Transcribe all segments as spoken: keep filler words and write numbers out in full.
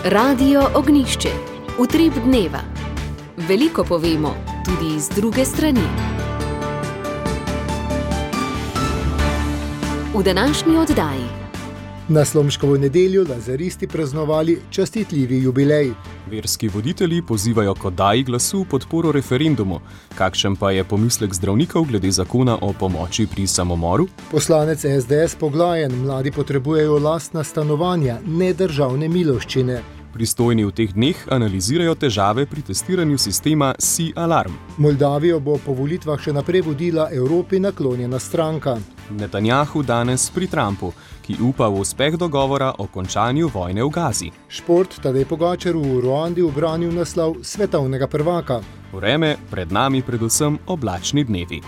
Radio Ognjišče. Utrip dneva. Veliko povemo, tudi iz druge strani. V današnji oddaji. Na Slomškovo nedeljo lazaristi praznovali častitljivi jubilej. Verski voditelji pozivajo k oddaji glasu v podporo referendumu. Kakšen pa je pomislek zdravnikov glede zakona o pomoči pri samomoru? Poslanec es de es Poglajen, mladi potrebujejo lastna stanovanja, ne državne miloščine. Pristojni v teh dneh analizirajo težave pri testiranju sistema SI-alarm. Moldavijo bo po volitvah še naprej vodila Evropi naklonjena stranka. Netanjahu danes pri Trumpu, ki upa v uspeh dogovora o končanju vojne v Gazi. Šport, Tadej Pogačar v Ruandi ubranil naslov svetovnega prvaka. Vreme, pred nami predvsem oblačni dnevi.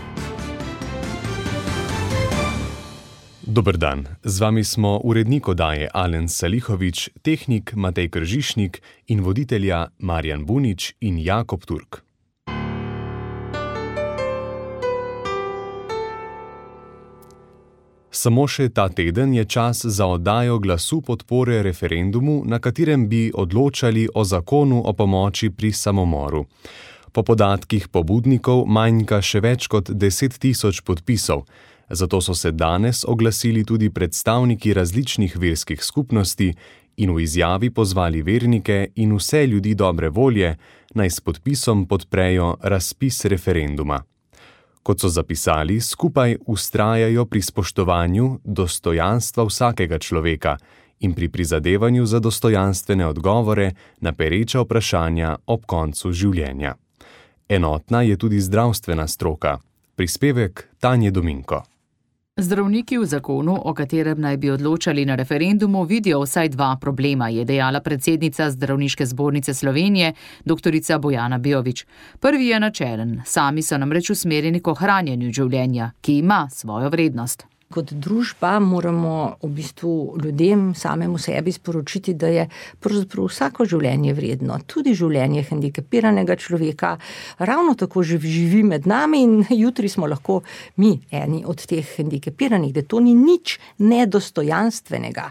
Dober dan, z vami smo urednik oddaje Alen Salihovič, tehnik Matej Kržišnik in voditelja Marjan Bunič in Jakob Turk. Samo še ta teden je čas za oddajo glasu podpore referendumu, na katerem bi odločali o zakonu o pomoči pri samomoru. Po podatkih pobudnikov manjka še več kot deset tisoč podpisov. Zato so se danes oglasili tudi predstavniki različnih verskih skupnosti in v izjavi pozvali vernike in vse ljudi dobre volje, naj s podpisom podprejo razpis referenduma. Kot so zapisali, skupaj vztrajajo pri spoštovanju dostojanstva vsakega človeka in pri prizadevanju za dostojanstvene odgovore na pereča vprašanja ob koncu življenja. Enotna je tudi zdravstvena stroka. Prispevek Tanje Dominko. Zdravniki v zakonu, o katerem naj bi odločali na referendumu, vidijo vsaj dva problema, je dejala predsednica Zdravniške zbornice Slovenije, doktorica Bojana Beović. Prvi je načelen, sami so namreč usmerjeni k ohranjanju življenja, ki ima svojo vrednost. Kot družba moramo v bistvu ljudem samemu sebi sporočiti, da je pravzaprav vsako življenje vredno, tudi življenje hendikepiranega človeka, ravno tako živi med nami in jutri smo lahko mi eni od teh hendikepiranih, da to ni nič nedostojanstvenega.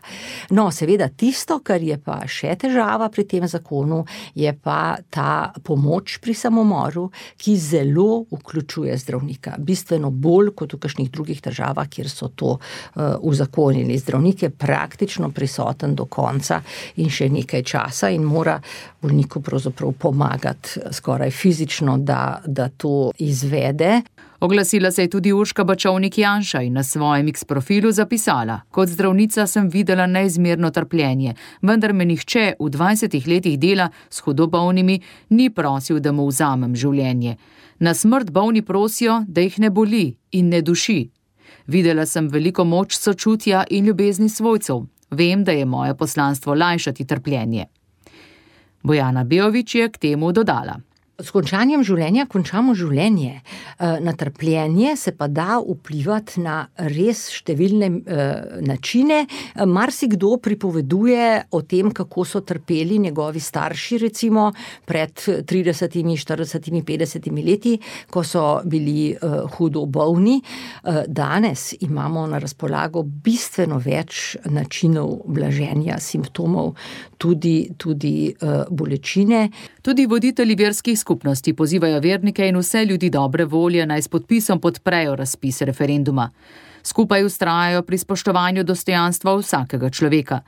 No, seveda tisto, kar je pa še težava pri tem zakonu, je pa ta pomoč pri samomoru, ki zelo vključuje zdravnika, bistveno bolj kot v kakšnih drugih državah, kjer so to uh, uzakonili. Zdravnik je praktično prisoten do konca in še nekaj časa in mora bolniku pravzaprav pomagati skoraj fizično, da, da to izvede. Oglasila se je tudi Urška Bačovnik-Janša in na svojem X profilu zapisala: Kot zdravnica sem videla neizmerno trpljenje, vendar me nihče v dvajsetih letih dela s hudo bolnimi ni prosil, da mu vzamem življenje. Na smrt bolni prosijo, da jih ne boli in ne duši. Videla sem veliko moč sočutja in ljubezni svojcev. Vem, da je moje poslanstvo lajšati trpljenje. Bojana Beović je k temu dodala: S končanjem življenja končamo življenje. Na trpljenje se pa da vplivati na res številne načine. Marsikdo pripoveduje o tem, kako so trpeli njegovi starši, recimo pred tridesetimi, štiridesetimi, petdesetimi leti, ko so bili hudo bolni. Danes imamo na razpolago bistveno več načinov blaženja simptomov, tudi, tudi bolečine. Tudi voditelji verskih skupnosti pozivajo vernike in vse ljudi dobre volje, naj s podpisom podprejo razpis referenduma. Skupaj vztrajajo pri spoštovanju dostojanstva vsakega človeka.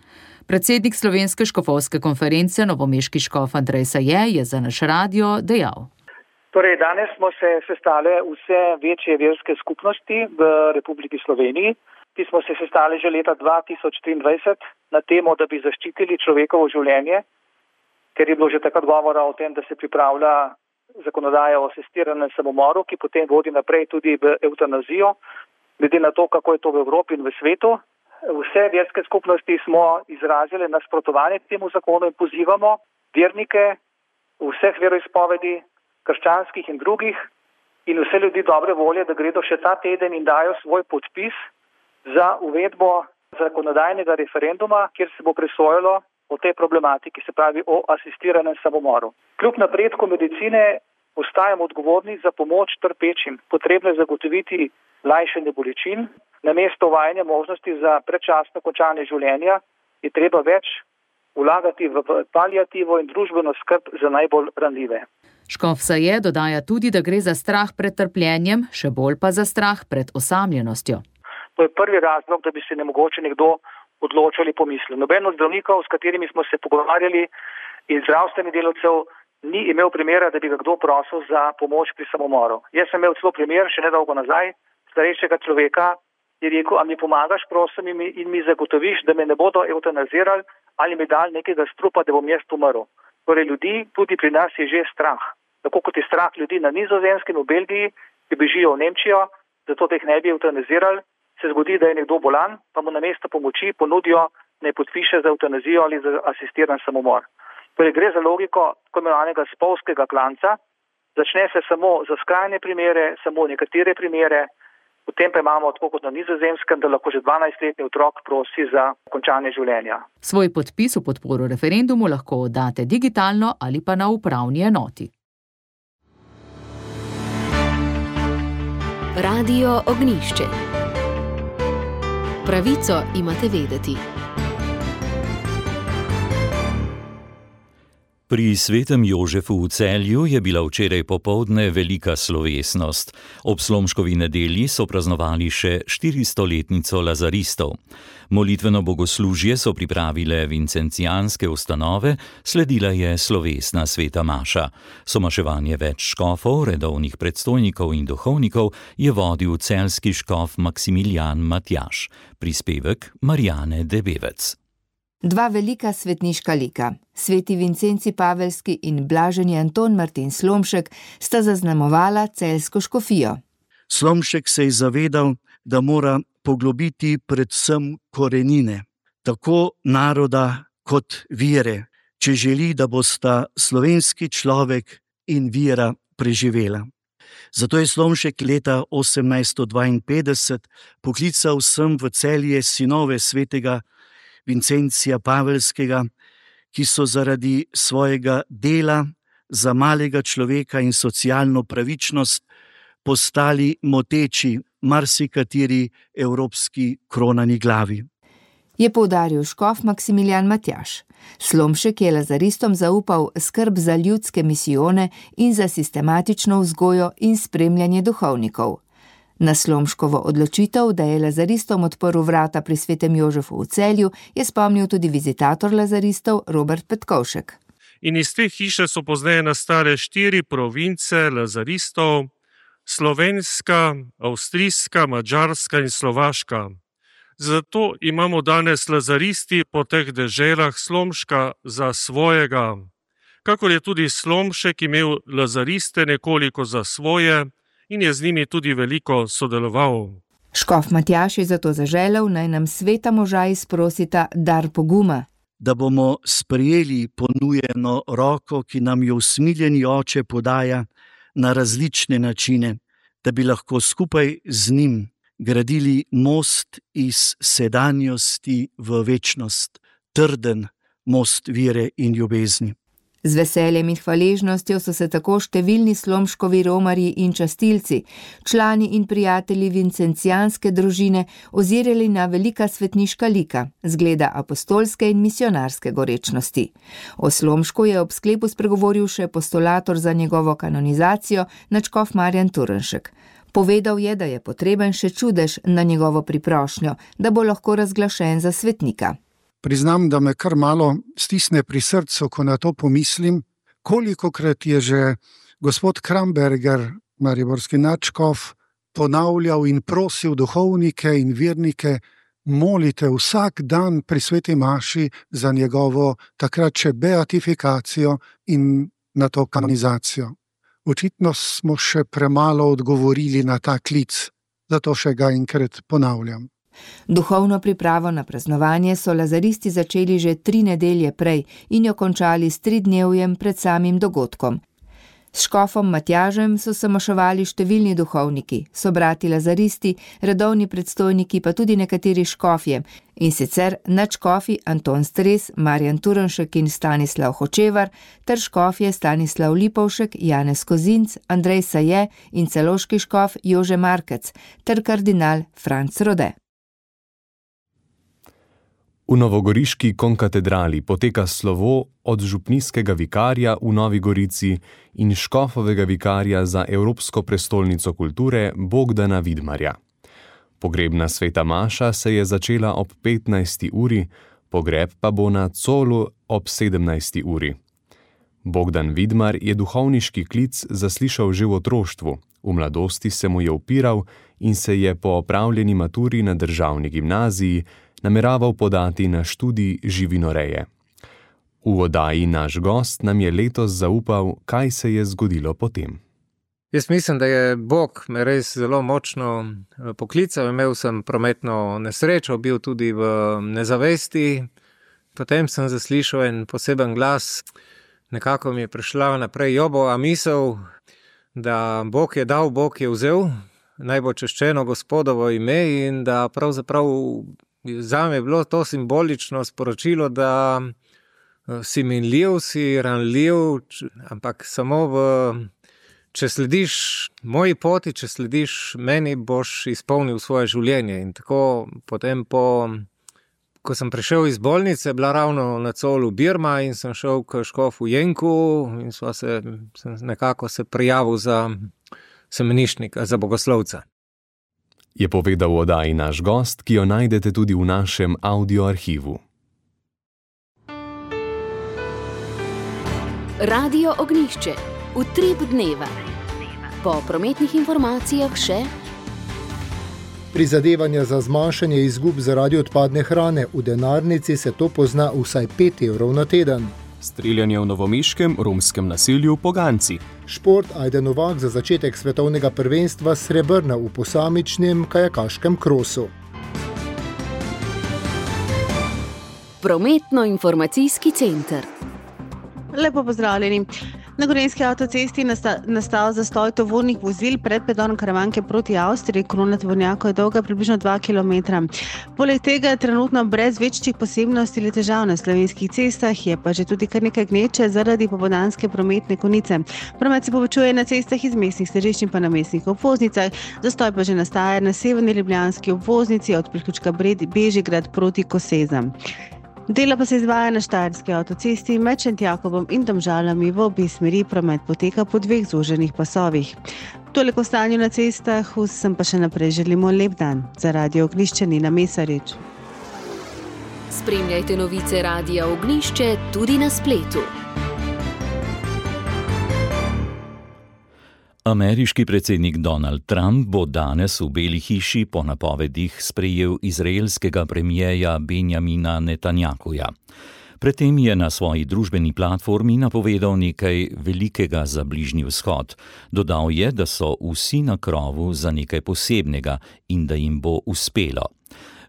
Predsednik Slovenske škofovske konference, novomeški škof Andrej Saje, je za naš radio dejal: Torej, danes smo se sestale vse večje verske skupnosti v Republiki Sloveniji, ki smo se sestali že leta dva tisoč triindvajset na temo, da bi zaščitili človekovo življenje, ker je bilo že takrat govora o tem, da se pripravlja zakonodaja o asistiranem samomoru, ki potem vodi naprej tudi v evtanazijo, glede na to, kako je to v Evropi in v svetu. Vse verske skupnosti smo izrazili nasprotovanje temu zakonu in pozivamo vernike vseh veroizpovedi, krščanskih in drugih, in vse ljudi dobre volje, da gredo še ta teden in dajo svoj podpis za uvedbo zakonodajnega referenduma, kjer se bo presojalo o tej problematiki, se pravi o asistiranem samomoru. Kljub napredku medicine ostajamo odgovorni za pomoč trpečim. Potrebno je zagotoviti lajšanje bolečin. Namesto uvajanja možnosti za predčasno končanje življenja je treba več vlagati v paliativo in družbeno skrb za najbolj ranljive. Škof Saje dodaja tudi, da gre za strah pred trpljenjem, še bolj pa za strah pred osamljenostjo. To je prvi razlog, da bi se ne mogoče nekdo odločil ali pomislil. Noben od zdravnikov, s katerimi smo se pogovarjali, in zdravstvenih delavcev ni imel primera, da bi ga kdo prosil za pomoč pri samomoru. Jaz sem imel celo primer, še nedolgo nazaj, starejšega človeka, je rekel, a mi pomagaš, prosim, in mi zagotoviš, da me ne bodo eutanazirali ali mi dali nekega strupa, da bom jaz umrl. Torej ljudi tudi pri nas je že strah. Tako kot je strah ljudi na Nizozemskem, v Belgiji, ki bežijo v Nemčijo, zato da jih ne bi eutanazirali, se zgodi, da je nekdo bolan, pa mu namesto pomoči ponudijo, naj podpiše za eutanazijo ali za asistiran samomor. Torej gre za logiko tako imenovanega spolskega klanca. Začne se samo za skrajne primere, samo nekatere primere, potem pa imamo, tako kot na Nizozemskem, da lahko že dvanajstletni otrok prosi za končanje življenja. Svoj podpis v podporo referendumu lahko oddate digitalno ali pa na upravni enoti. Radio Ognjišče. Pravico imate vedeti. Pri svetem Jožefu v Celju je bila včeraj popoldne velika slovesnost. Ob Slomškovi nedelji so praznovali še štiristoletnico lazaristov. Molitveno bogoslužje so pripravile vincencijanske ustanove, sledila je slovesna sveta maša. Somaševanje več škofov, redovnih predstojnikov in duhovnikov je vodil celjski škof Maksimilijan Matjaž. Prispevek Marjane Debevec. Dva velika svetniška lika, sveti Vincenci Pavelski in blaženi Anton Martin Slomšek, sta zaznamovala celjsko škofijo. Slomšek se je zavedal, da mora poglobiti predvsem korenine, tako naroda kot vere, če želi, da bosta slovenski človek in vera preživela. Zato je Slomšek leta osemnajststo dvainpetdeset poklical sem v Celje sinove svetega Vincencija Pavelskega, ki so zaradi svojega dela za malega človeka in socialno pravičnost postali moteči marsikateri evropski kronani glavi. Je poudaril škof Maksimilijan Matjaž. Slomšek je lazaristom zaupal skrb za ljudske misijone in za sistematično vzgojo in spremljanje duhovnikov. Na Slomškovo odločitev, da je lazaristom odprl vrata pri svetem Jožefu v Celju, je spomnil tudi vizitator lazaristov Robert Petkovšek. In iz te hiše so pozneje nastale štiri province lazaristov: slovenska, avstrijska, madžarska in slovaška. Zato imamo danes lazaristi po teh deželah Slomška za svojega. Kakor je tudi Slomšek imel lazariste nekoliko za svoje, in je z njimi tudi veliko sodeloval. Škof Matjaž je zato zaželel, naj nam sveta moža izprosita dar poguma. Da bomo sprejeli ponujeno roko, ki nam jo usmiljeni oče podaja na različne načine, da bi lahko skupaj z njim gradili most iz sedanjosti v večnost, trden most vere in ljubezni. Z veseljem in hvaležnostjo so se tako številni slomškovi romarji in častilci, člani in prijatelji vincencijanske družine ozirali na velika svetniška lika, zgleda apostolske in misionarske gorečnosti. O Slomšku je ob sklepu spregovoril še postulator za njegovo kanonizacijo, nadškof Marjan Turnšek. Povedal je, da je potreben še čudež na njegovo priprošnjo, da bo lahko razglašen za svetnika. Priznam, da me kar malo stisne pri srcu, ko na to pomislim, kolikokrat je že gospod Kramberger, mariborski nadškof, ponavljal in prosil duhovnike in vernike, molite vsak dan pri sveti maši za njegovo takrat še beatifikacijo in na to kanonizacijo. Očitno smo še premalo odgovorili na ta klic, zato še ga enkrat ponavljam. Duhovno pripravo na praznovanje so lazaristi začeli že tri nedelje prej in jo končali s tridnevjem pred samim dogodkom. S škofom Matjažem so se maševali številni duhovniki, sobrati lazaristi, redovni predstojniki pa tudi nekateri škofje, in sicer nadškofi Anton Stres, Marjan Turnšek in Stanislav Hočevar, ter škofje Stanislav Lipovšek, Janez Kozinc, Andrej Saje in celoški škof Jože Markec ter kardinal Franc Rode. V novogoriški konkatedrali poteka slovo od župnijskega vikarja v Novi Gorici in škofovega vikarja za Evropsko prestolnico kulture Bogdana Vidmarja. Pogrebna sveta maša se je začela ob petnajsti uri, pogreb pa bo na Colu ob sedemnajsti uri. Bogdan Vidmar je duhovniški klic zaslišal že v otroštvu, v mladosti se mu je upiral in se je po opravljeni maturi na državni gimnaziji nameraval podati na študij živinoreje. V oddaji Naš gost nam je letos zaupal, kaj se je zgodilo potem. Jaz mislim, da je Bog me res zelo močno poklical. Imel sem prometno nesrečo, bil tudi v nezavesti. Potem sem zaslišal en poseben glas. Nekako mi je prišla naprej Jobova misel, da Bog je dal, Bog je vzel, naj bo češčeno Gospodovo ime, in da pravzaprav zame je bilo to simbolično sporočilo, da si minljiv, si ranljiv, ampak samo v, če slediš moji poti, če slediš meni, boš izpolnil svoje življenje. In tako potem, po, ko sem prišel iz bolnice, bila ravno na Colu Birma in sem šel k škofu Jenku in sva se, sem nekako se prijavil za semeniščnika, za bogoslovca. Je povedal v oddaji Naš gost, ki jo najdete tudi v našem audioarhivu. Radio Ognjišče. Utrip dneva. Po prometnih informacijah še prizadevanja za zmanjšanje izgub zaradi odpadne hrane. V denarnici se to pozna vsaj pet evrov na teden. Streljanje v novomeškem romskem naselju Poganci. Šport Ajde Novak za začetek svetovnega prvenstva srebrna v posamičnem kajakaškem krosu. Prometno-informacijski center. Lepo pozdravljeni. Na Gorenjski avtocesti nastal zastoj tovornih vozil pred predorom Karavanke proti Avstriji. Kolona tovornjakov je dolga približno dva kilometra. Poleg tega je trenutno brez večjih posebnosti ali težav na slovenskih cestah, je pa že tudi kar nekaj gneče zaradi popoldanske prometne konice. Promet se povečuje na cestah iz mestnih središč in pa na mestnih obvoznicah. Zastoj pa že nastaja na severni ljubljanski obvoznici od priključka Bežigrad proti Kosezam. Dela pa se izvaja na Štajerski avtocesti med Šentjakobom in Domžalami, v obe smeri promet poteka po dveh zoženih pasovih. Toliko o stanju na cestah, vsem pa še naprej želimo lep dan. Za Radio Ognjišče Nina Mesarič. Spremljajte novice Radia Ognjišče tudi na spletu. Ameriški predsednik Donald Trump bo danes v Beli hiši po napovedih sprejel izraelskega premijeja Benjamina Netanjahuja. Predtem je na svoji družbeni platformi napovedal nekaj velikega za Bližnji vzhod. Dodal je, da so vsi na krovu za nekaj posebnega in da jim bo uspelo.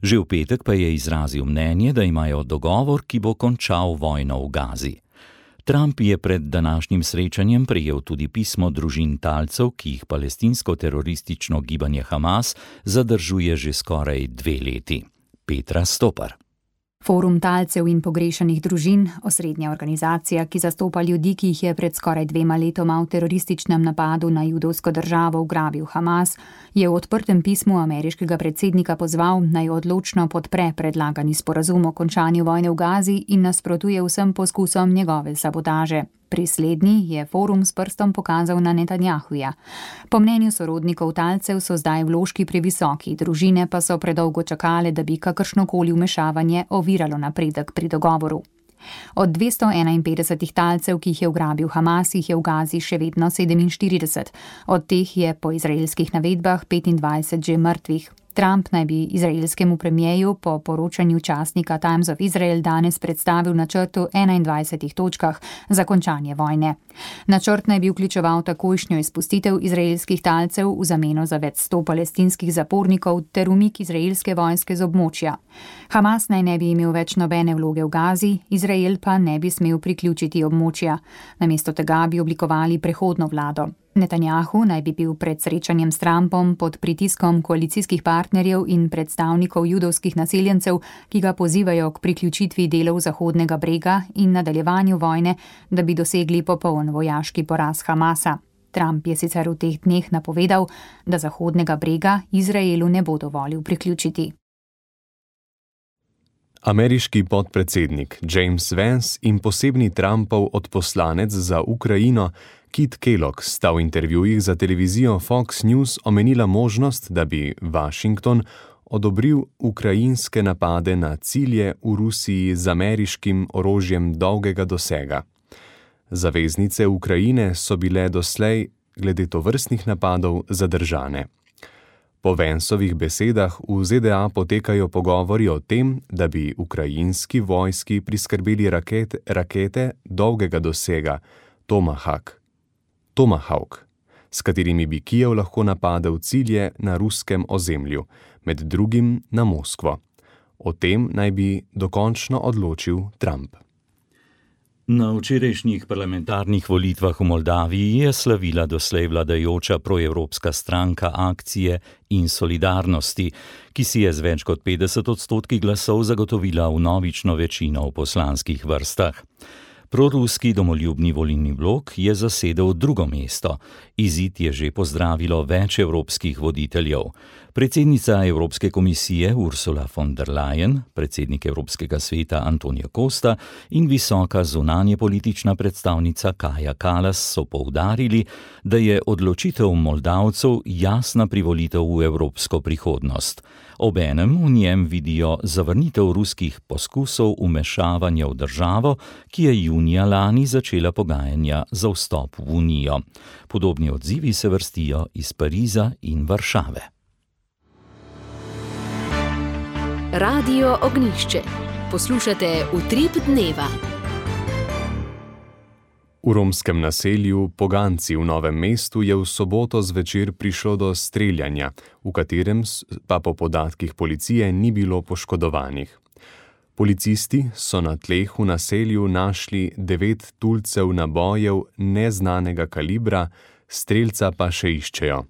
Že v petek pa je izrazil mnenje, da imajo dogovor, ki bo končal vojno v Gazi. Trump je pred današnjim srečanjem prejel tudi pismo družin talcev, ki jih palestinsko-teroristično gibanje Hamas zadržuje že skoraj dve leti. Petra Stopar. Forum talcev in pogrešanih družin, osrednja organizacija, ki zastopa ljudi, ki jih je pred skoraj dvema letoma v terorističnem napadu na judovsko državo ugrabil Hamas, je v odprtem pismu ameriškega predsednika pozval, naj odločno podpre predlagani sporazum o končanju vojne v Gazi in nasprotuje vsem poskusom njegove sabotaže. Pri slednji je forum s prstom pokazal na Netanjahuja. Po mnenju sorodnikov talcev so zdaj vložki previsoki, družine pa so predolgo čakale, da bi kakršnokoli vmešavanje oviralo napredek pri dogovoru. Od dvesto enainpetdeset talcev, ki jih je ugrabil Hamas, jih je v Gazi še vedno sedeminštirideset. Od teh je po izraelskih navedbah petindvajset že mrtvih. Trump naj bi izraelskemu premijeju po poročanju časnika Times of Israel danes predstavil načrt v enaindvajsetih točkah za končanje vojne. Načrt naj bi vključeval takojšnjo izpustitev izraelskih talcev v zameno za več sto palestinskih zapornikov ter umik izraelske vojske z območja. Hamas naj ne bi imel več nobene vloge v Gazi, Izrael pa ne bi smel priključiti območja. Namesto tega bi oblikovali prehodno vlado. Netanjahu naj bi bil pred srečanjem s Trumpom pod pritiskom koalicijskih partnerjev in predstavnikov judovskih naseljencev, ki ga pozivajo k priključitvi delov Zahodnega brega in nadaljevanju vojne, da bi dosegli popoln vojaški poraz Hamasa. Trump je sicer v teh dneh napovedal, da Zahodnega brega Izraelu ne bo dovolil priključiti. Ameriški podpredsednik James Vance in posebni Trumpov odposlanec za Ukrajino Kit Kellogg sta v intervjujih za televizijo Fox News omenila možnost, da bi Washington odobril ukrajinske napade na cilje v Rusiji z ameriškim orožjem dolgega dosega. Zaveznice Ukrajine so bile doslej glede tovrstnih napadov zadržane. Po Vanceovih besedah v Z D A potekajo pogovori o tem, da bi ukrajinski vojski priskrbeli rakete, rakete dolgega dosega Tomahawk, Tomahawk, s katerimi bi Kijev lahko napadel cilje na ruskem ozemlju, med drugim na Moskvo. O tem naj bi dokončno odločil Trump. Na včerajšnjih parlamentarnih volitvah v Moldaviji je slavila doslej vladajoča proevropska stranka Akcije in solidarnosti, ki si je z več kot petdeset odstotki glasov zagotovila vnovično večino v poslanskih vrstah. Proruski domoljubni volilni blok je zasedel drugo mesto. Izid je že pozdravilo več evropskih voditeljev. Predsednica Evropske komisije Ursula von der Leyen, predsednik Evropskega sveta Antonio Costa in visoka zunanjepolitična predstavnica Kaja Kallas so poudarili, da je odločitev Moldavcev jasna privolitev v evropsko prihodnost. Obenem v njem vidijo zavrnitev ruskih poskusov vmešavanja v državo, ki je junija lani začela pogajanja za vstop v Unijo. Podobni odzivi se vrstijo iz Pariza in Varšave. Radio Ognjišče. Poslušate Utrip dneva. V romskem naselju Poganci v Novem mestu je v soboto zvečer prišlo do streljanja, v katerem pa po podatkih policije ni bilo poškodovanih. Policisti so na tleh v naselju našli devet tulcev nabojev neznanega kalibra, strelca pa še iščejo.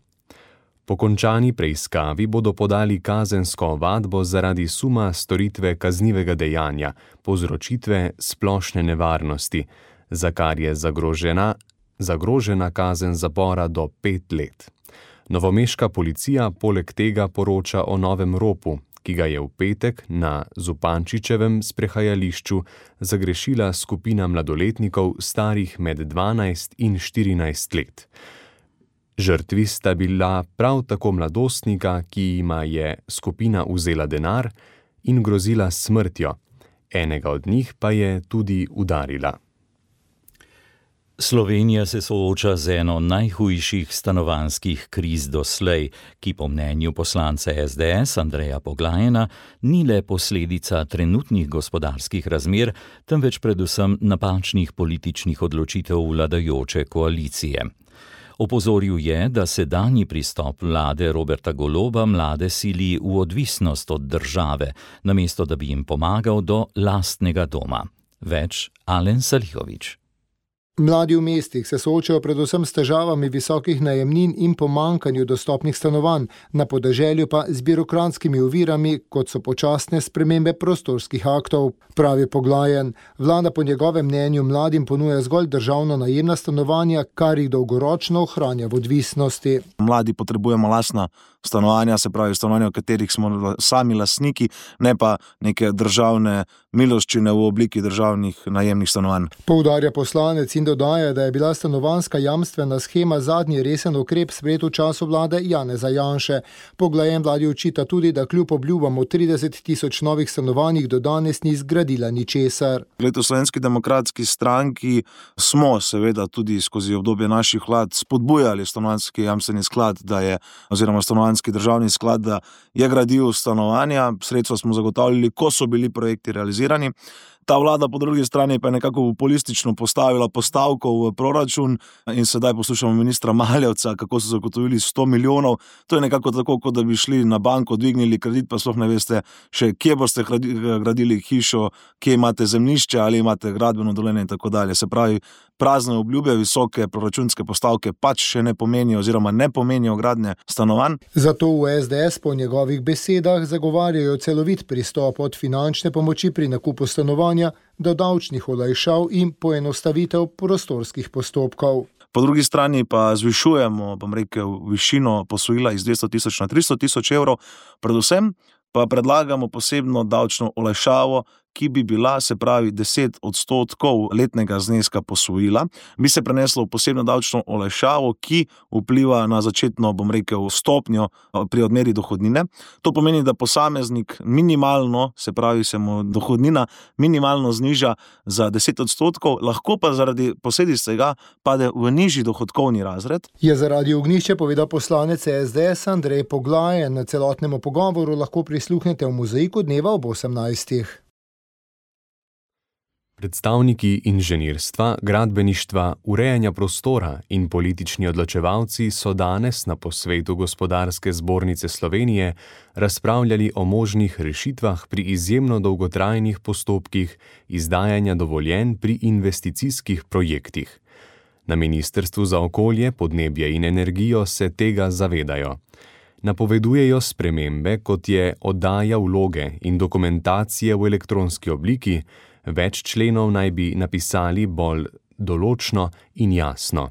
Po končani preiskavi bodo podali kazensko ovadbo zaradi suma storitve kaznivega dejanja, povzročitve splošne nevarnosti, za kar je zagrožena, zagrožena kazen zapora do pet let. Novomeška policija poleg tega poroča o novem ropu, ki ga je v petek na Zupančičevem sprehajališču zagrešila skupina mladoletnikov starih med dvanajst in štirinajst let. Žrtvi sta bila prav tako mladostnika, ki jima je skupina vzela denar in grozila smrtjo. Enega od njih pa je tudi udarila. Slovenija se sooča z eno najhujših stanovanjskih kriz doslej, ki po mnenju poslanca S D S Andreja Poglajena ni le posledica trenutnih gospodarskih razmer, temveč predvsem napačnih političnih odločitev vladajoče koalicije. Opozoril je, da sedanji pristop vlade Roberta Goloba mlade sili v odvisnost od države, namesto da bi jim pomagal do lastnega doma. Več Alen Salihović. Mladi v mestih se soočajo predvsem s težavami visokih najemnin in pomankanju dostopnih stanovanj, na podeželju pa z birokratskimi ovirami, kot so počasne spremembe prostorskih aktov. Pravi Poglajen, vlada po njegovem mnenju mladim ponuja zgolj državno najemna stanovanja, kar jih dolgoročno ohranja v odvisnosti. Mladi potrebujemo lastna stanovanja, se pravi stanovanja, v katerih smo sami lastniki, ne pa neke državne miloščine v obliki državnih najemnih stanovanj. Poudarja poslanec in dodaja, da je bila stanovanjska jamstvena shema zadnji resen ukrep sprejet v času vlade Janeza Janše. Poglajen vladi očita tudi, da kljub obljubam o trideset tisoč novih stanovanjih do danes ni zgradila ničesar. Glede v Slovenski demokratski stranki smo seveda tudi skozi obdobje naših vlad spodbujali stanovanjski jamstveni sklad, da je, oziroma stanovanjski državni sklad, da je gradil stanovanja, sredstva smo zagotavljali, ko so bili projekti realizirani. Ta vlada po drugi strani pa je nekako populistično postavila postavko v proračun in sedaj poslušamo ministra Maljevca, kako so zagotovili sto milijonov. To je nekako tako, kot da bi šli na banko, dvignili kredit, pa sploh ne veste še, kje boste gradili hišo, kje imate zemljišče ali imate gradbeno dovoljenje in tako dalje. Se pravi, prazne obljube, visoke proračunske postavke pač še ne pomenijo oziroma ne pomenijo gradnje stanovanj. Zato v S D S po njegovih besedah zagovarjajo celovit pristop od finančne pomoči pri nakupu stanovanja do davčnih olajšav in poenostavitev prostorskih postopkov. Po drugi strani pa zvišujemo, bom rekel, višino posojila iz dvesto tisoč na tristo tisoč evrov, predvsem pa predlagamo posebno davčno olajšavo, ki bi bila, se pravi, deset odstotkov letnega zneska posojila, bi se preneslo v posebno davčno olajšavo, ki vpliva na začetno, bom rekel, stopnjo pri odmeri dohodnine. To pomeni, da posameznik minimalno, se pravi, se mu dohodnina minimalno zniža za deset odstotkov, lahko pa zaradi posledic tega pade v nižji dohodkovni razred. Je za Radio Ognjišče povedal poslanec S D S Andrej Poglaje. Na celotnemu pogovoru lahko prisluhnete v Mozaiku dneva ob osemnajstih. Predstavniki inženirstva, gradbeništva, urejanja prostora in politični odločevalci so danes na posvetu Gospodarske zbornice Slovenije razpravljali o možnih rešitvah pri izjemno dolgotrajnih postopkih izdajanja dovoljenj pri investicijskih projektih. Na Ministrstvu za okolje, podnebje in energijo se tega zavedajo. Napovedujejo spremembe, kot je oddaja vloge in dokumentacije v elektronski obliki. Več členov naj bi napisali bolj določno in jasno.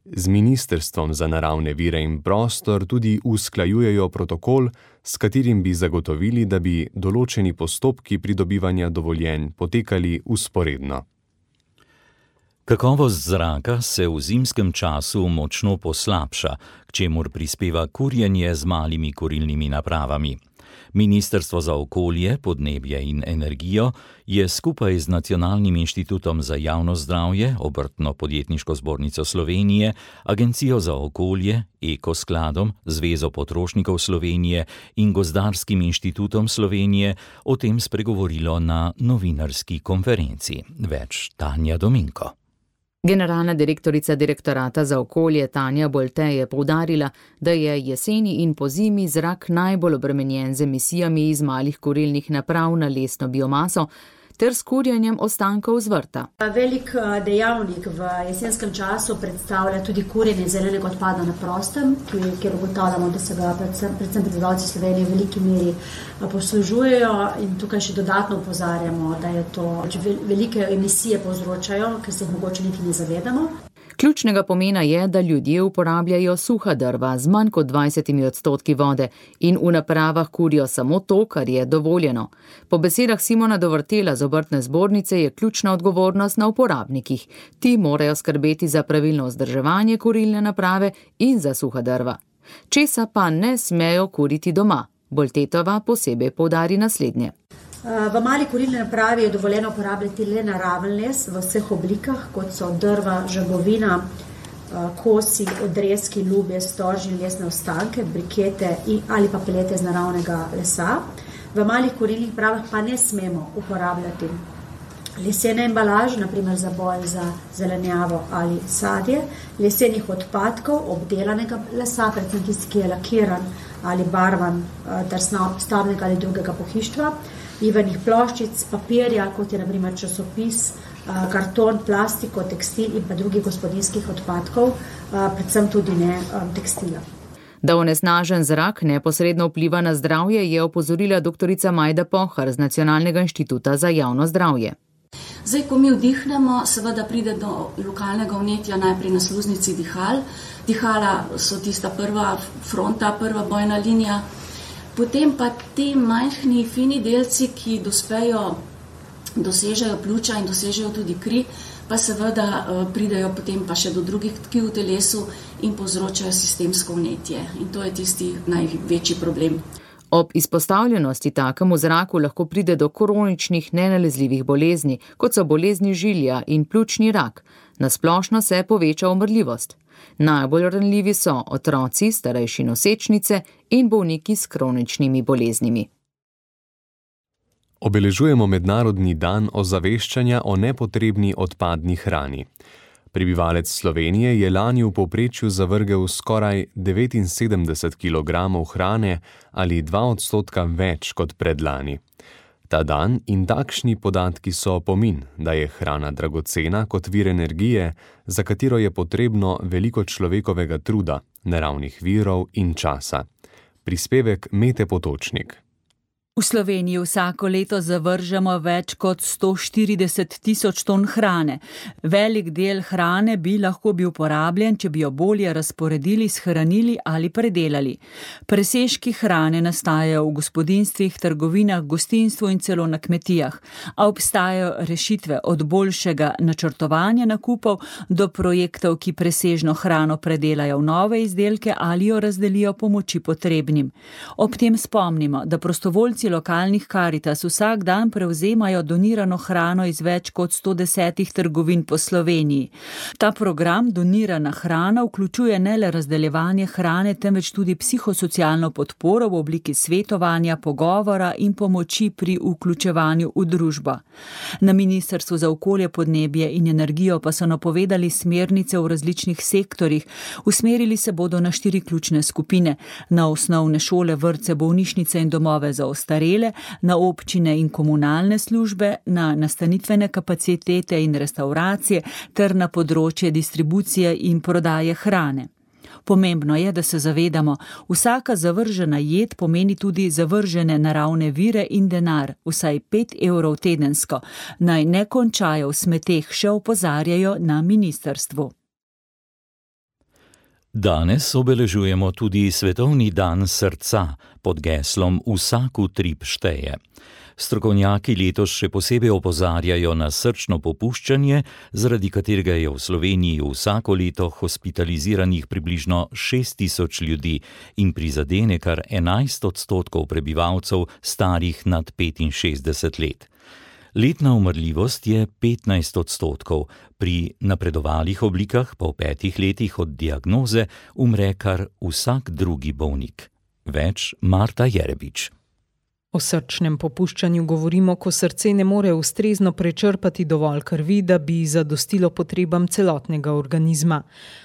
Z Ministrstvom za naravne vire in prostor tudi usklajujejo protokol, s katerim bi zagotovili, da bi določeni postopki pridobivanja dovoljenj potekali vzporedno. Kakovost zraka se v zimskem času močno poslabša, k čemur prispeva kurjenje z malimi kurilnimi napravami. Ministrstvo za okolje, podnebje in energijo je skupaj z Nacionalnim inštitutom za javno zdravje, Obrtno-podjetniško zbornico Slovenije, Agencijo za okolje, Ekoskladom, Zvezo potrošnikov Slovenije in Gozdarskim inštitutom Slovenije o tem spregovorilo na novinarski konferenci. Več Tanja Dominko. Generalna direktorica Direktorata za okolje Tanja Bolte je poudarila, da je jeseni in pozimi zrak najbolj obremenjen z emisijami iz malih kurilnih naprav na lesno biomaso ter s kurjenjem ostankov z vrta. Velik dejavnik v jesenskem času predstavlja tudi kurjenje zelenega odpada na prostem, kjer ugotavljamo, da se ga predvsem, predvsem prebivalci Slovenije v veliki meri poslužujejo, in tukaj še dodatno opozarjamo, da je to velike emisije povzročajo, ker se jih mogoče niti ne zavedamo. Ključnega pomena je, da ljudje uporabljajo suha drva z manj kot dvajsetimi odstotki vode in v napravah kurijo samo to, kar je dovoljeno. Po besedah Simona Dovrtela z Obrtne zbornice je ključna odgovornost na uporabnikih. Ti morajo skrbeti za pravilno vzdrževanje kurilne naprave in za suha drva. Česa pa ne smejo kuriti doma. Boltetova posebej poudari naslednje. V mali kurilni napravi je dovoljeno uporabljati le naraven les v vseh oblikah, kot so drva, žagovina, kosi, odrezki, lubje, storžin, lesne ostanke, brikete ali pa pelete iz naravnega lesa. V malih kurilnih napravah pa ne smemo uporabljati lesene embalaže, naprimer za boj za zelenjavo ali sadje, lesenih odpadkov, obdelanega lesa, predvsem tisti, ki je lakiran ali barvan ter stavbnega ali drugega pohištva, ivenih ploščic, papirja, kot je na primer časopis, karton, plastiko, tekstil in pa drugih gospodinjskih odpadkov, predvsem tudi ne tekstila. Da onesnažen zrak neposredno vpliva na zdravje, je opozorila doktorica Majda Pohar z Nacionalnega inštituta za javno zdravje. Zdaj, ko mi vdihnemo, seveda pride do lokalnega vnetja najprej na sluznici dihal. Dihala so tista prva fronta, prva bojna linija. Potem pa ti majhni, fini delci, ki dospejo, dosežejo pljuča in dosežejo tudi kri, pa seveda pridejo potem pa še do drugih tkiv v telesu in povzročajo sistemsko vnetje. In to je tisti največji problem. Ob izpostavljenosti takemu zraku lahko pride do kroničnih nenalezljivih bolezni, kot so bolezni žilja in pljučni rak. Nasplošno se poveča umrljivost. Najbolj ranljivi so otroci, starejši nosečnice in bolniki s kroničnimi boleznimi. Obeležujemo Mednarodni dan ozaveščanja o nepotrebni odpadni hrani. Prebivalec Slovenije je lani v povprečju zavrgel skoraj devetinsedemdeset kilogramov hrane ali dva odstotka več kot predlani. Ta dan in takšni podatki so opomin, da je hrana dragocena kot vir energije, za katero je potrebno veliko človekovega truda, naravnih virov in časa. Prispevek Mete Potočnik. V Sloveniji vsako leto zavržemo več kot sto štirideset tisoč ton hrane. Velik del hrane bi lahko bil porabljen, če bi jo bolje razporedili, shranili ali predelali. Presežki hrane nastajajo v gospodinjstvih, trgovinah, gostinstvu in celo na kmetijah. A obstajajo rešitve od boljšega načrtovanja nakupov do projektov, ki presežno hrano predelajo v nove izdelke ali jo razdelijo pomoči potrebnim. Ob tem spomnimo, da prostovoljci lokalnih Karitas vsak dan prevzemajo donirano hrano iz več kot sto desetih trgovin po Sloveniji. Ta program Donirana hrana vključuje ne le razdeljevanje hrane, temveč tudi psihosocialno podporo v obliki svetovanja, pogovora in pomoči pri vključevanju v družbo. Na Ministrstvu za okolje, podnebje in energijo pa so napovedali smernice v različnih sektorjih. Usmerili se bodo na štiri ključne skupine: na osnovne šole, vrtce, bolnišnice in domove za ostarele, na občine in komunalne službe, na nastanitvene kapacitete in restauracije ter na področje distribucije in prodaje hrane. Pomembno je, da se zavedamo, vsaka zavržena jed pomeni tudi zavržene naravne vire in denar, vsaj pet evrov tedensko. Naj ne končajo v smeteh, še opozarjajo na ministrstvu. Danes obeležujemo tudi Svetovni dan srca pod geslom Vsak utrip šteje. Strokovnjaki letos še posebej opozarjajo na srčno popuščanje, zaradi katerega je v Sloveniji vsako leto hospitaliziranih približno šest tisoč ljudi in prizadene kar enajst odstotkov prebivalcev starih nad petinšestdeset let. Letna umrljivost je petnajst odstotkov, pri napredovalih oblikah pa v petih letih od diagnoze umre kar vsak drugi bolnik. Več Marta Jerebič. O srčnem popuščanju govorimo, ko srce ne more ustrezno prečrpati dovolj krvi, da bi zadostilo potrebam celotnega organizma.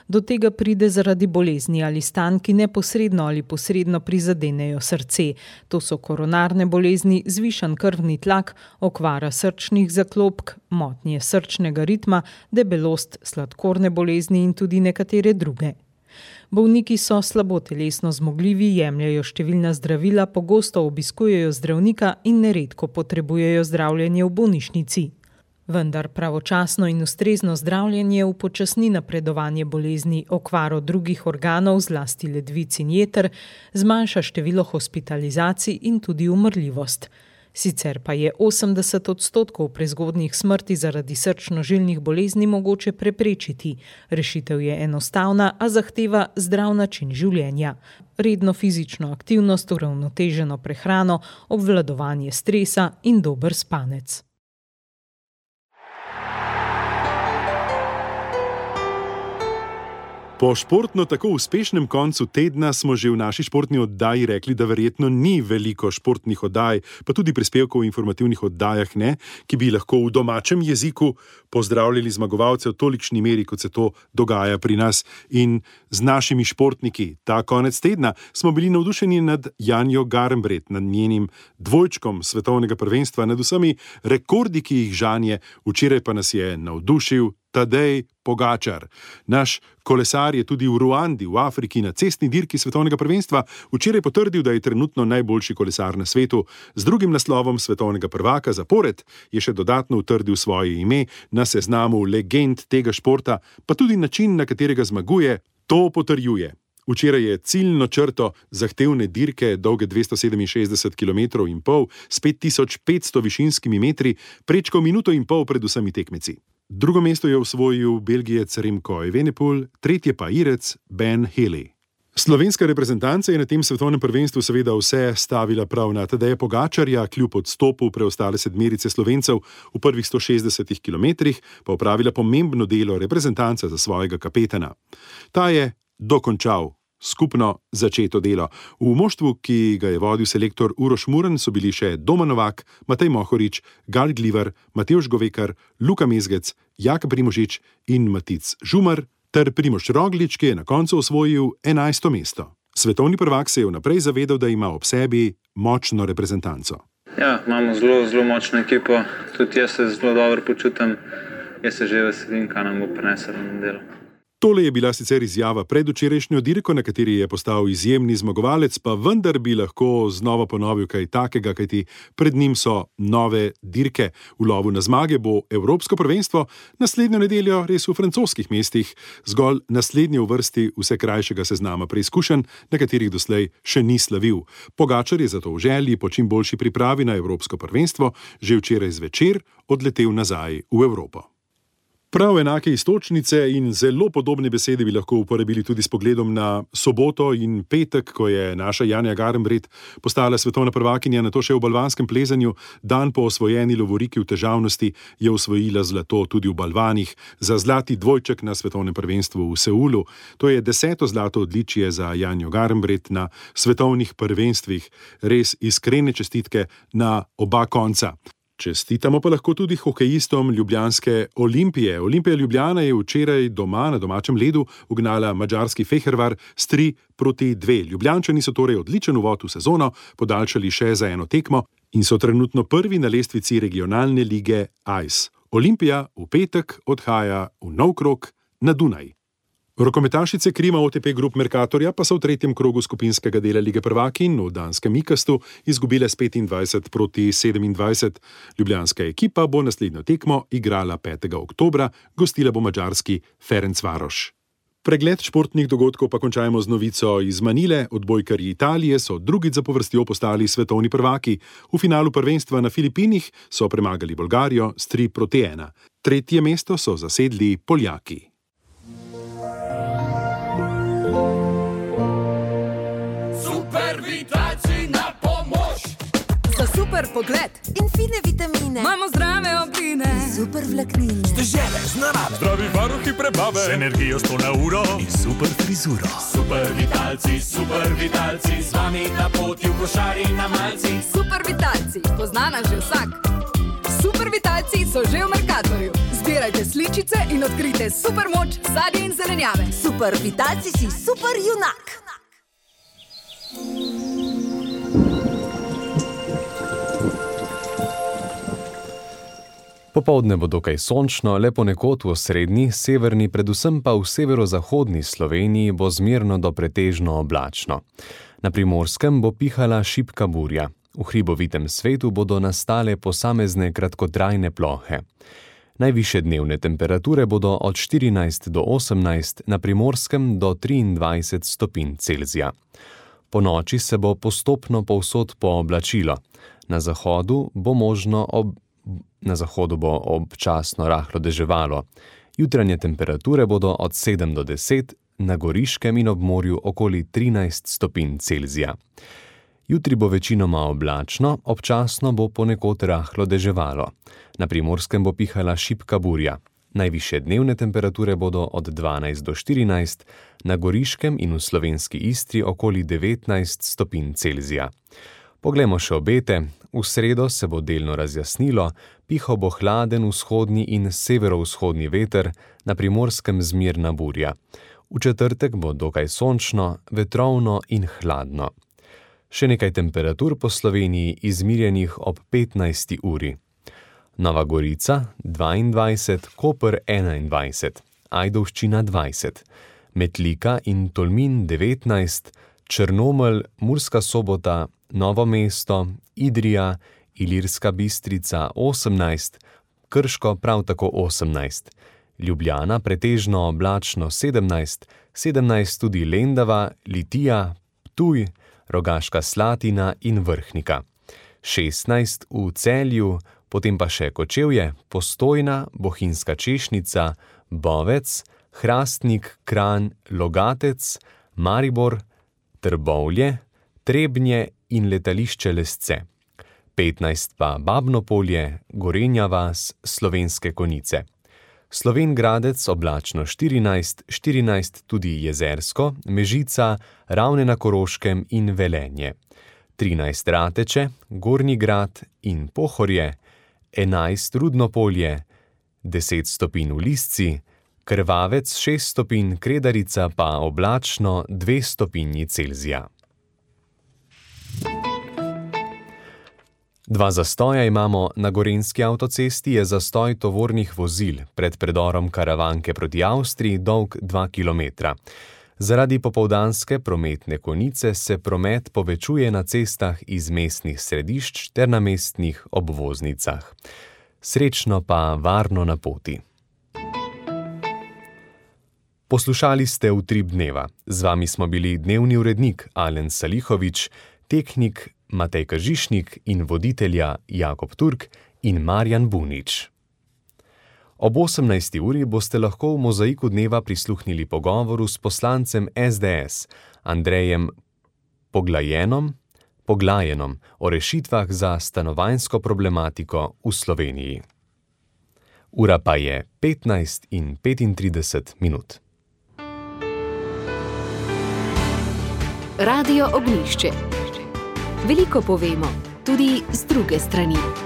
Do tega pride zaradi bolezni ali stanj, ki neposredno ali posredno prizadenejo srce. To so koronarne bolezni, zvišan krvni tlak, okvara srčnih zaklopk, motnje srčnega ritma, debelost, sladkorne bolezni in tudi nekatere druge. Bolniki so slabo telesno zmogljivi, jemljajo številna zdravila, pogosto obiskujejo zdravnika in neredko potrebujejo zdravljenje v bolnišnici. Vendar pravočasno in ustrezno zdravljenje upočasni napredovanje bolezni, okvaro drugih organov, zlasti ledvic in jeter, zmanjša število hospitalizacij in tudi umrljivost. Sicer pa je osemdeset odstotkov prezgodnjih smrti zaradi srčno-žilnih bolezni mogoče preprečiti. Rešitev je enostavna, a zahteva zdrav način življenja. Redno fizično aktivnost, uravnoteženo prehrano, obvladovanje stresa in dober spanec. Po športno tako uspešnem koncu tedna smo že v naši športni oddaji rekli, da verjetno ni veliko športnih oddaj, pa tudi prispevkov v informativnih oddajah ne, ki bi lahko v domačem jeziku pozdravljali zmagovalce v tolikšni meri, kot se to dogaja pri nas in z našimi športniki. Ta konec tedna smo bili navdušeni nad Janjo Garnbret, nad njenim dvojčkom svetovnega prvenstva, nad vsemi rekordi, ki jih žanje, včeraj pa nas je navdušil Tadej Pogačar. Naš kolesar je tudi v Ruandi, v Afriki, na cestni dirki svetovnega prvenstva včeraj potrdil, da je trenutno najboljši kolesar na svetu. Z drugim naslovom svetovnega prvaka zapored je še dodatno utrdil svoje ime na seznamu legend tega športa, pa tudi način, na katerega zmaguje, to potrjuje. Včeraj je ciljno črto zahtevne dirke, dolge dvesto sedeminšestdeset kilometrov in pol, s pet tisoč petsto višinskimi metri, prečkal minuto in pol pred vsemi tekmeci. Drugo mesto je osvojil Belgijec Remco Evenepoel, tretje pa Irec Ben Healy. Slovenska reprezentanca je na tem svetovnem prvenstvu seveda vse stavila prav na Tadeja Pogačarja, kljub odstopu preostale sedmerice Slovencev v prvih sto šestdesetih kilometrih, pa opravila pomembno delo reprezentanca za svojega kapetana. Ta je dokončal skupno začeto delo. V moštvu, ki ga je vodil selektor Uroš Muren, so bili še Doma Novak, Matej Mohorič, Gal Glivar, Matevž Govekar, Luka Mezgec, Jaka Primožič in Matic Žumar, ter Primož Roglič, ki je na koncu osvojil enajsto mesto. Svetovni prvak se je vnaprej zavedal, da ima ob sebi močno reprezentanco. Ja, imamo zelo, zelo močno ekipo, tudi jaz se zelo dobro počutim, jaz se že veselim, kaj nam bo prinesel na delo. Tole je bila sicer izjava pred včerajšnjo dirko, na kateri je postal izjemni zmagovalec, pa vendar bi lahko znova ponovil kaj takega, kajti pred njim so nove dirke. V lovu na zmage bo Evropsko prvenstvo, naslednjo nedeljo res v francoskih mestih, zgolj naslednje v vrsti vse krajšega seznama preizkušenj, na katerih doslej še ni slavil. Pogačar je zato v želji po čim boljši pripravi na Evropsko prvenstvo že včeraj zvečer odletel nazaj v Evropo. Prav enake istočnice in zelo podobne besede bi lahko uporabili tudi s pogledom na soboto in petek, ko je naša Janja Garnbret postala svetovna prvakinja, nato še v balvanskem plezanju. Dan po osvojeni lovoriki v težavnosti je osvojila zlato tudi v balvanih za zlati dvojček na svetovnem prvenstvu v Seulu. To je deseto zlato odličje za Janjo Garnbret na svetovnih prvenstvih. Res iskrene čestitke na oba konca. Čestitamo pa lahko tudi hokejistom ljubljanske Olimpije. Olimpija Ljubljana je včeraj doma na domačem ledu ugnala madžarski Fehérvár s tri proti dve. Ljubljančani so torej odličen uvod v sezono podaljšali še za eno tekmo in so trenutno prvi na lestvici regionalne lige Ice. Olimpija v petek odhaja v nov krog na Dunaj. Rokometašice Krima O T P Group Mercatorja pa so v tretjem krogu skupinskega dela lige prvakinj v danskem Ikastu izgubile s petindvajset proti sedemindvajset. Ljubljanska ekipa bo naslednjo tekmo igrala petega oktobra, gostila bo madžarski Ferencváros. Pregled športnih dogodkov pa končajmo z novico iz Manile. Odbojkarji Italije so drugič zapovrstjo postali svetovni prvaki. V finalu prvenstva na Filipinih so premagali Bolgarijo s tri proti ena. Tretje mesto so zasedli Poljaki. Super pogled in fine vitamine. Imamo zdrave obline, super vlaknine. Dežele z narave, zdravi varuhi prebave, z energijo sto na uro in super frizuro. Super vitalci, super vitalci, z vami na poti v košari na malci. Super vitalci, poznana že vsak. Super vitalci so že v Mercatorju. Zbirajte sličice in odkrite super moč sadja in zelenjave. Super vitalci si super junak. Popoldne bo dokaj sončno, le ponekod v osrednji, severni, predvsem pa v severozahodni Sloveniji bo zmerno do pretežno oblačno. Na Primorskem bo pihala šibka burja. V hribovitem svetu bodo nastale posamezne kratkotrajne plohe. Najvišje dnevne temperature bodo od štirinajst do osemnajst, na Primorskem do triindvajset stopinj Celzija. Po noči se bo postopno povsod pooblačilo. Na zahodu bo možno ob Na zahodu bo občasno rahlo deževalo. Jutranje temperature bodo od sedem do deset, na Goriškem in ob morju okoli trinajst stopinj Celzija. Jutri bo večinoma oblačno, občasno bo ponekod rahlo deževalo. Na Primorskem bo pihala šibka burja. Najvišje dnevne temperature bodo od dvanajst do štirinajst, na Goriškem in v slovenski Istri okoli devetnajst stopinj Celzija. Poglejmo še obete. V sredo se bo delno razjasnilo, pihal bo hladen vzhodni in severovzhodni veter, na Primorskem zmerna burja. V četrtek bo dokaj sončno, vetrovno in hladno. Še nekaj temperatur po Sloveniji izmirjenih ob petnajsti uri. Nova Gorica dvaindvajset, Koper enaindvajset, Ajdovščina dvajset, Metlika in Tolmin devetnajst, Črnomelj, Murska Sobota, Novo mesto, Idrija, Ilirska Bistrica osemnajst, Krško prav tako osemnajst, Ljubljana pretežno oblačno sedemnajst, sedemnajst tudi Lendava, Litija, Ptuj, Rogaška Slatina in Vrhnika. šestnajst v Celju, potem pa še Kočevje, Postojna, Bohinjska Češnica, Bovec, Hrastnik, Kranj, Logatec, Maribor, Trbovlje, Trebnje in letališče Lesce. petnajst pa Babnopolje, Gorenja vas, Slovenske Konjice. Slovenj Gradec oblačno štirinajst, štirinajst tudi Jezersko, Mežica, Ravne na Koroškem in Velenje. trinajst Rateče, Gornji Grad in Pohorje, enajst Rudnopolje, deset stopinj v Lisci, Krvavec šest stopinj, Kredarica pa oblačno dve stopinji Celzija. Dva zastoja imamo na gorenjski avtocesti, je zastoj tovornih vozil pred predorom Karavanke proti Avstriji dolg dva kilometra. Zaradi popoldanske prometne konice se promet povečuje na cestah iz mestnih središč ter na mestnih obvoznicah. Srečno pa varno na poti. Poslušali ste Utrip dneva. Z vami smo bili dnevni urednik Alen Salihovič, tehnik Matej Kržišnik in voditelja Jakob Turk in Marjan Bunič. Ob osemnajsti uri boste lahko v Mozaiku dneva prisluhnili pogovoru s poslancem es de es Andrejem Poglajenom, Poglajenom o rešitvah za stanovanjsko problematiko v Sloveniji. Ura pa je petnajst in petintrideset minut. Radio Ognjišče. Veliko povemo, tudi z druge strani.